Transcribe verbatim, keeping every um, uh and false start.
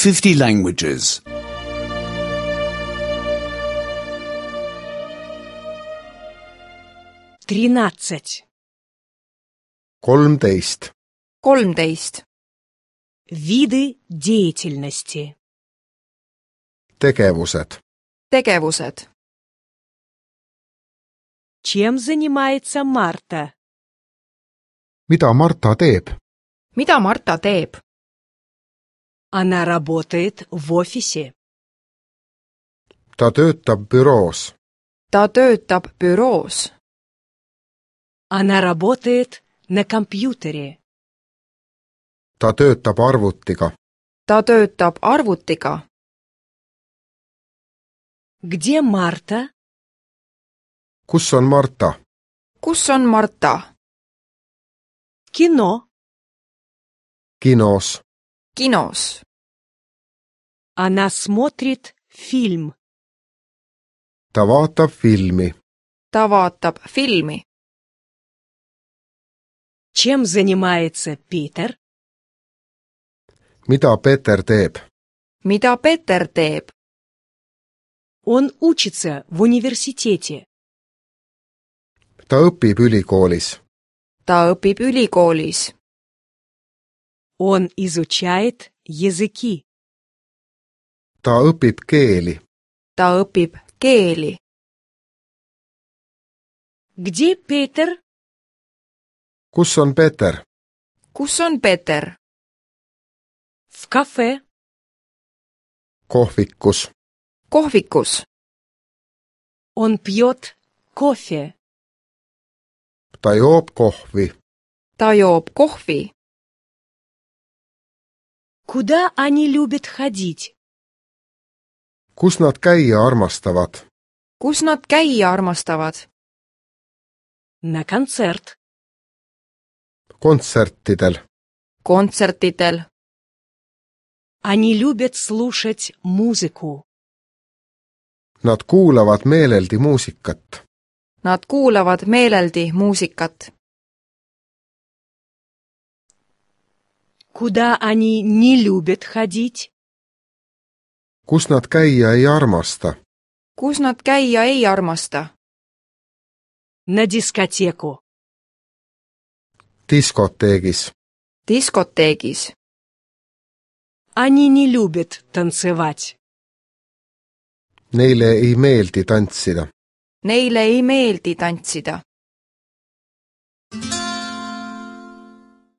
fifty languages. тринадцать. kolmteist. kolmteist. Виды деятельности. Tegevused. Tegevused. Чем занимается Марта? Mida Marta teeb? Mida Marta teeb? Она работает в офисе. Ta töötab büroos. Ta töötab büroos. Она работает на компьютере. Ta töötab arvutiga. Ta töötab arvutiga. Где Марта? Kus on Marta? Kus on Marta? Кино. Kinos. Kinos. Она смотрит фильм. Ta vaatab filmi. Ta vaatab filmi. Чем занимается Питер? Mida Peeter teeb? Mida Peeter teeb? Он учится в университете. Ta õpib ülikoolis. Ta õpib ülikoolis. Он изучает языки. Ta õpib keeli. Ta õpib keeli. Где Питер? Kus on Peeter? Kus on Peeter? В кафе. Kohvikus. Kohvikus. Он пьет кофе. Ta joob kohvi. Ta joob kohvi. Куда они любят ходить? Kus nad käia armastavad? Kus nad käia armastavad? На концерт. Kontsertidel. Kontsertidel. Они любят слушать музыку. Nad kuulavad meeleldi muusikat. Nad kuulavad meeleldi muusikat. Куда они не любят ходить? Kus nad käia ei armasta? Kus nad käia ei armasta? На дискотеку. Diskoteegis. Diskoteegis. Они не любят танцевать. Neile ei meeldi tantsida. Neile ei meeldi tantsida.